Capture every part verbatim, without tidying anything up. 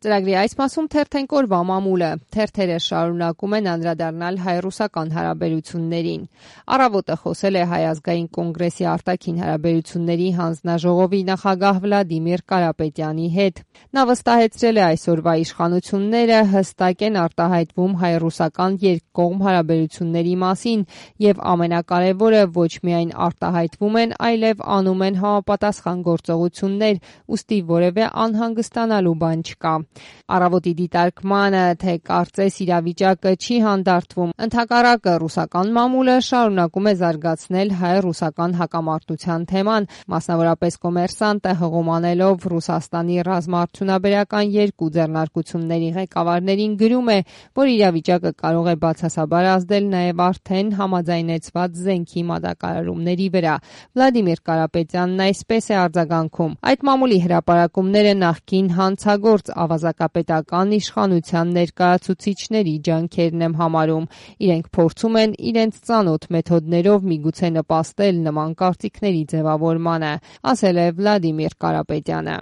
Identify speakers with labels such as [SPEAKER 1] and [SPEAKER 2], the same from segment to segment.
[SPEAKER 1] Ծրագրի այս մասում թերթենք օրվա մամուլը։ Թերթերը շարունակում են անդրադառնալ հայ-ռուսական հարաբերություններին։ Առավոտը խոսել է Հայ ազգային կոնգրեսի արտաքին հարաբերությունների հանձնաժողովի նախագահ Վլադիմիր Կարապետյանի հետ։ Նա վստահեցրել է այսօրվա իշխանությունները հստակ են արտահայտվում հայ-ռուսական երկկողմ հարաբերությունների մասին եւ ամենակարևորը ոչ միայն արտահայտվում են, այլև անում են համապատասխան գործողություններ, ուստի որևէ անհանգստանալու բան չկա։ Առավոտի դիտարկմանը, թե կարծես իրավիճակը չի հանդարտվում, ընդհակառակը ռուսական մամուլը շարունակում է զարգացնել հայ-ռուսական հակամարտության թեման, մասնավորապես Կոմերսանտը հղումանելով Ռուսաստանի ռազմաարդյունաբերական երկու ձեռնարկությունների ղեկավարներին գրում է, որ իրավիճակը կարող է բացասաբար ազդել նաև արդեն համաձայնեցված զենքի մատակարարումների վրա։ Վլադիմիր Կարապետյանն այսպես է արձագանքում. այդ մամուլի հրապարակումները նախկին հանցագործ ավազակապետական իշխանության ներկայացուցիչների ջանքերն եմ համարում։ Իրենք փորձում են իրենց ծանոթ մեթոդներով միգուցե նպաստել նման կարծիքների ձևավորմանը, ասել է Վլադիմիր Կարապետյանը։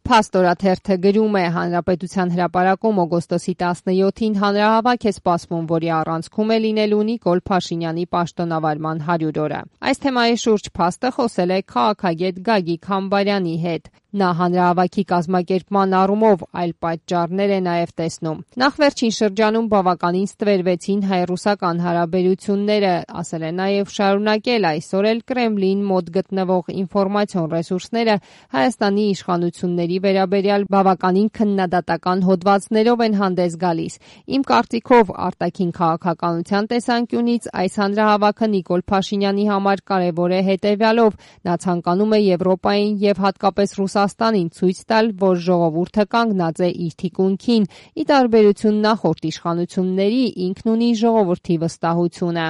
[SPEAKER 1] Փաստորաթերթը գրում է. Հանրապետության հրապարակում օգոստոսի տասնյոթին հանրահավաք է սպասվում, որի առանցքում է լինելու Նիկոլ Փաշինյանի պաշտոնավարման հարյուր օրը։ Այս թեմայի շուրջ փաստը խոսել է քաղաքագետ Գագիկ Համբարյանի հետ։ Նա հանրահավաքի կազմակերպման առումով այլ պատճառներ է նաև տեսնում։ Նախ վերջին շրջանում բավականին ստվերվեցին հայ-ռուսական հարաբերությունները, ասել է նաև շարունակել այսօր էլ Կրեմլին մոտ գտնվող ինֆորմացիոն ռեսուրսները Հայաստանի իշխանությունների վերաբերյալ բավականին քննադատական հոդվածներով են հանդես գալիս։ Իմ կարծիքով արտաքին քաղաքականության տեսանկյունից այս հանրահավաքը Նիկոլ Փաշինյանի համար կարևոր է հետևյալով. նա ցանկանում է Եվրոպային եւ հատկապես Ռուսաստանին ցույց տալ, որ ժողովուրդը կանգնած է իր թիկունքին, ի տարբերություն նախորդ իշխանությունների ինքն ունի ժողովրդի վստահությունը։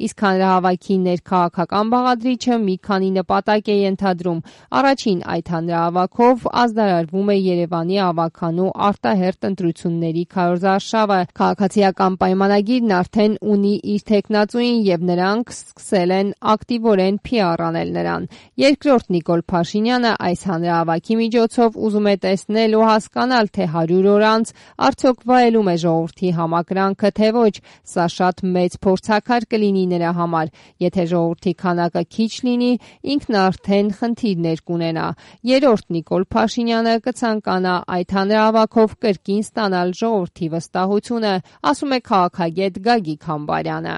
[SPEAKER 1] Իսկ հանրահավաքի ներքաղաքական բաղադրիչը մի քանի նպատակ է ենթադրում։ Առաջին, այդ հանրահավաքով ազդարարվում է Երևանի ավագանու արտահերթ ընտրությունների քարոզարշավը։ Քաղաքացիական պայմանագիրն արդեն ունի իր թեկնածուին եւ նրանք սկսել են ակտիվորեն փի ար անել նրան։ Երկրորդ, Նիկոլ Փաշինյանը այս հանրահավաքի միջոցով ուզում է տեսնել ու հասկանալ, թե հարյուր օր անց արդյոք վայելում է ժողովրդի համակրանքը, թե ոչ։ Սա շատ մեծ փորձաքար կլինի նրա համար։ Եթե ժողովրդի քանակը քիչ լինի, ինքն արդեն խնդիրներ կունենա։ Երրորդ, Նիկոլ Փաշինյանը կցանկանա այդ հանրահավաքով կրկին ստանալ ժողովրդի վստահությունը, ասում է քաղաքագետ Գագիկ Համբարյանը։